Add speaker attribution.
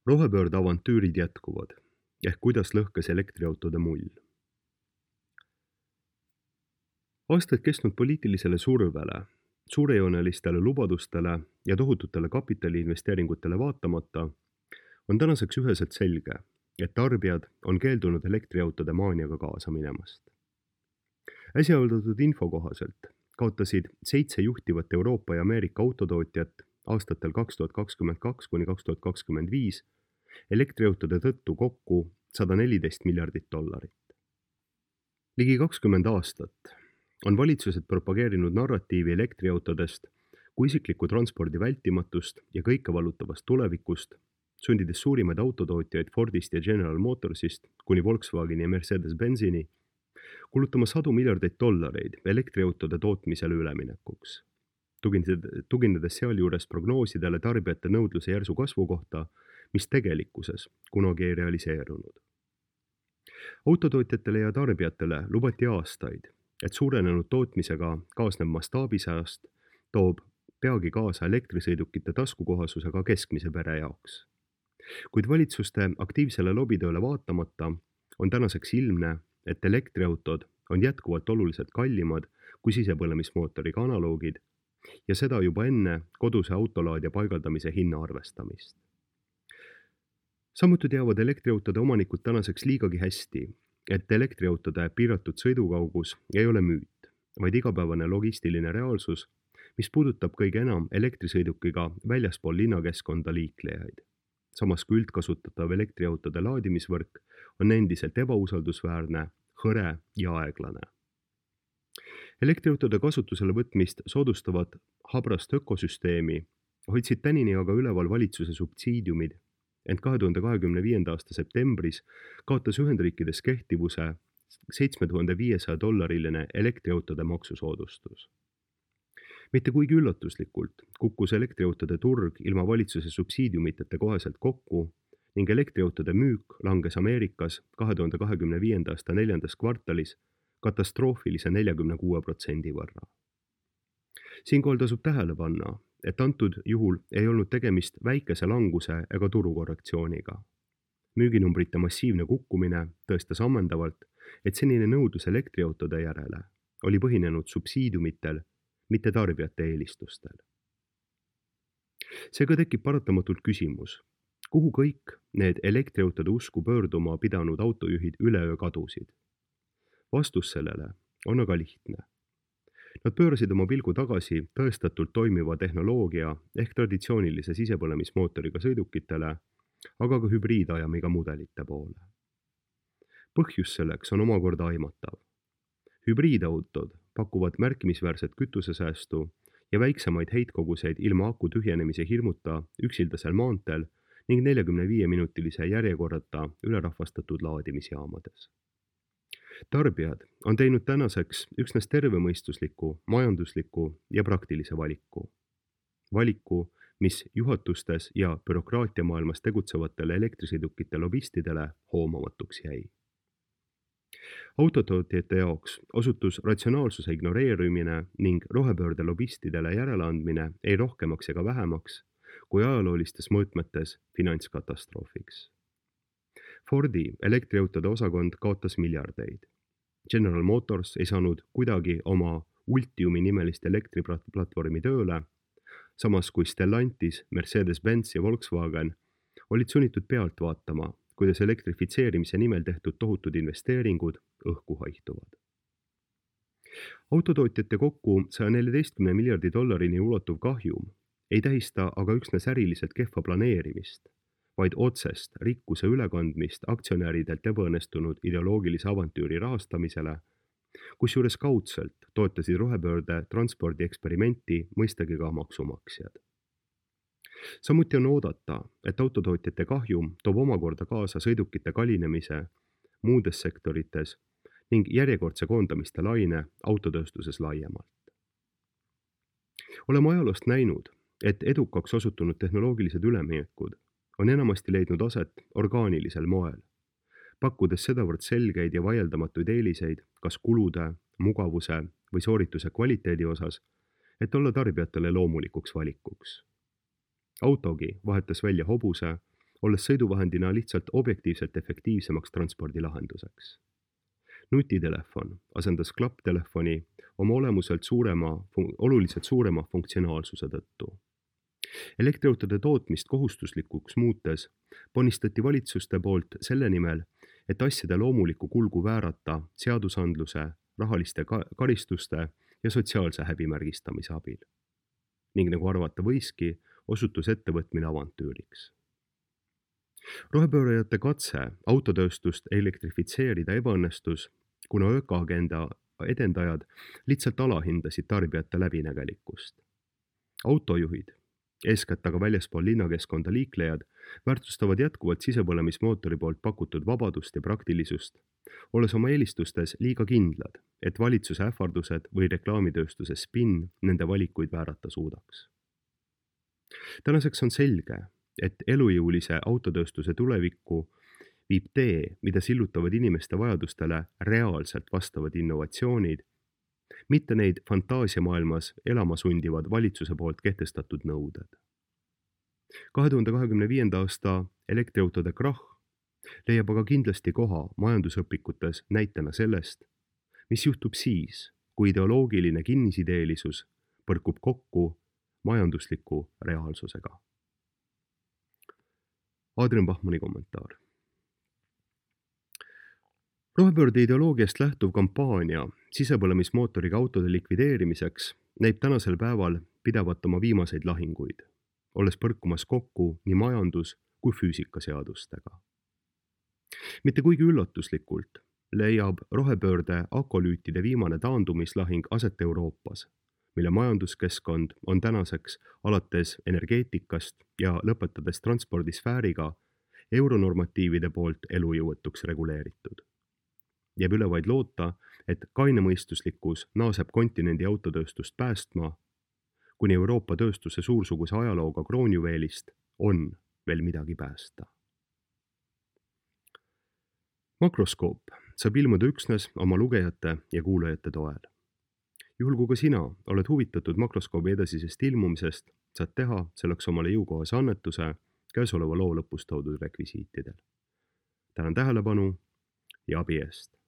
Speaker 1: Rohepöörde avantüürid jätkuvad, ehk kuidas lõhkes elektriautode mull. Aastaid kestnud poliitilisele survele, suurejoonelistele lubadustele ja tohututele kapitaliinvesteeringutele vaatamata on tänaseks üheselt selge, et tarbijad on keeldunud elektriautode maaniaga kaasa minemast. Äsja avaldatud info kohaselt kaotasid 7 juhtivat Euroopa ja Ameerika autotootjat aastatel 2022 kuni 2025 elektriautode tõttu kokku $114 miljardit. Ligi 20 aastat on valitsused propageerinud narratiivi elektriautodest kui isikliku transpordi vältimatust ja kõikevallutavast tulevikust, sundides suurimaid autotootjaid Fordist ja General Motorsist kuni Volkswageni ja Mercedes-Benzini kulutama $100 miljardeid elektriautode tootmisele üleminekuks, tuginedes sealjuures prognoosidele tarbijate nõudluse järsu kasvu kohta, mis tegelikkuses kunagi ei realiseerunud. Autotootjatele ja tarbijatele lubati aastaid, et suurenenud tootmisega kaasnev mastaabisääst toob peagi kaasa elektrisõidukite taskukohasuse ka keskmise pere jaoks. Kuid valitsuste aktiivsele lobitööle vaatamata on tänaseks ilmne, et elektriautod on jätkuvalt oluliselt kallimad kui sisepõlemismootoriga analoogid ja seda juba enne koduse autolaadija paigaldamise hinna arvestamist. Samuti teavad elektriautode omanikud tänaseks liigagi hästi, et elektriautode piiratud sõidukaugus ei ole müüt, vaid igapäevane logistiline reaalsus, mis puudutab kõige enam elektrisõidukiga väljaspool linnakeskkonda liiklejaid. Samas kui üldkasutatav elektriautode laadimisvõrk on endiselt ebausaldusväärne, hõre ja aeglane. Elektriautode kasutusele võtmist soodustavat habrast ökosüsteemi hoidsid tänini aga üleval valitsuse subsiidiumid, ent 2025. aasta septembris kaotas Ühendriikides kehtivuse $7500 elektriautode maksusoodustus. Mitte kuigi üllatuslikult kukkus elektriautode turg ilma valitsuse subsiidiumitete koheselt kokku ning elektriautode müük langes Ameerikas 2025. aasta 4. kvartalis katastroofilise 46% võrra. Siinkohal tasub tähele panna, et antud juhul ei olnud tegemist väikese languse ega turukorrektsiooniga. Müüginumbrite massiivne kukkumine tõestas ammendavalt, et senine nõudlus elektriautode järele oli põhinenud subsiidiumitel, mitte tarbijate eelistustel. Seega tekib paratamatult küsimus, kuhu kõik need elektriautode usku pöörduma pidanud autojuhid üleöö kadusid? Vastus sellele on aga lihtne. Nad pöörasid oma pilgu tagasi tõestatult toimiva tehnoloogia ehk traditsioonilise sisepõlemismootoriga sõidukitele, aga ka hübriidajamiga mudelite poole. Põhjus selleks on omakorda aimatav. Hübriidautod pakuvad märkimisväärset kütusesäästu ja väiksemaid heitkoguseid ilma aku tühjenemise hirmuta üksildasel maanteel ning 45-minutilise järjekorrata ülerahvastatud laadimisjaamades. Tarbijad on teinud tänaseks üksnes tervemõistusliku, majandusliku ja praktilise valiku. Valiku, mis juhatustes ja bürokraatiamaailmas tegutsevatele elektrisõidukite lobistidele hoomamatuks jäi. Autotootjate jaoks osutus ratsionaalsuse ignoreerimine ning rohepöörde lobistidele järeleandmine ei rohkemaks ega vähemaks kui ajaloolistes mõõtmetes finantskatastroofiks. Fordi elektriautode osakond kaotas miljardeid. General Motors ei saanud kuidagi oma Ultiumi nimelist elektriplatvormi tööle, samas kui Stellantis, Mercedes-Benz ja Volkswagen olid sunnitud pealt vaatama, kuidas elektrifitseerimise nimel tehtud tohutud investeeringud õhku haihtuvad. Autotootjate kokku $114 miljardi ulatuv kahjum ei tähista aga üksnes äriliselt kehva planeerimist, vaid otsest rikkuse ülekandmist aktsionäridelt ebaõnnestunud ideoloogilise avantüüri rahastamisele, kusjuures kaudselt toetasid rohepöörde transpordi eksperimenti mõistagi ka maksumaksjad. Samuti on oodata, et autotootjate kahjum toob omakorda kaasa sõidukite kallinemise muudes sektorites ning järjekordse koondamiste laine autotööstuses laiemalt. Oleme ajaloost näinud, et edukaks osutunud tehnoloogilised üleminekud on enamasti leidnud aset orgaanilisel moel, pakkudes sedavõrd selgeid ja vaieldamatuid eeliseid kas kulude, mugavuse või soorituse kvaliteedi osas, et olla tarbijatele loomulikuks valikuks. Autogi vahetas välja hobuse olles sõiduvahendina lihtsalt objektiivselt efektiivsemaks transpordilahenduseks. Nutitelefon asendas klapptelefoni oma olemuselt oluliselt suurema funktsionaalsuse tõttu. Elektriautode tootmist kohustuslikuks muutes ponistati valitsuste poolt selle nimel, et asjade loomulikku kulgu väärata seadusandluse, rahaliste karistuste ja sotsiaalse häbimärgistamise abil. Ning nagu arvata võiski, osutus ettevõtmine avantüüriks. Rohepöörajate katse autotööstust elektrifitseerida ebaõnnestus, kuna ökoagenda edendajad lihtsalt alahindasid tarbijate läbinägelikkust. Autojuhid, eeskätt aga väljaspool linnakeskkonda liiklejad, väärtustavad jätkuvalt sisepõlemismootori poolt pakutud vabadust ja praktilisust, olles oma eelistustes liiga kindlad, et valitsuse ähvardused või reklaamitööstuse spinn nende valikuid väärata suudaks. Tänaseks on selge, et elujõulise autotööstuse tulevikku viib tee, mida sillutavad inimeste vajadustele reaalselt vastavad innovatsioonid, mitte neid fantaasiamaailmas elama sundivad valitsuse poolt kehtestatud nõuded. 2025. aasta elektriautode krahh leiab aga kindlasti koha majandusõpikutes näitena sellest, mis juhtub siis, kui ideoloogiline kinnisideelisus põrkub kokku majandusliku reaalsusega. Adrian Bachmanni kommentaar. Rohepöörde ideoloogiast lähtuv kampaania sisepõlemismootoriga autode likvideerimiseks näib tänasel päeval pidavat oma viimaseid lahinguid, olles põrkumas kokku nii majandus- kui füüsikaseadustega. Mitte kuigi üllatuslikult leiab rohepöörde akolüütide viimane taandumislahing aset Euroopas, mille majanduskeskkond on tänaseks alates energeetikast ja lõpetades transpordisfääriga euronormatiivide poolt elujõuetuks reguleeritud. Jääb üle vaid loota, et kainemõistuslikkus naaseb kontinendi autotööstust päästma, kuni Euroopa tööstuse suursuguse ajalooga kroonjuveelist on veel midagi päästa. Makroskoop saab ilmuda üksnes oma lugejate ja kuulajate toel. Juhul kui ka sina oled huvitatud makroskoobi edasisest ilmumisest, saad teha selleks omale jõukohase annetuse käesoleva loo lõpus toodud rekvisiitidel. Tänan tähelepanu ja abi eest!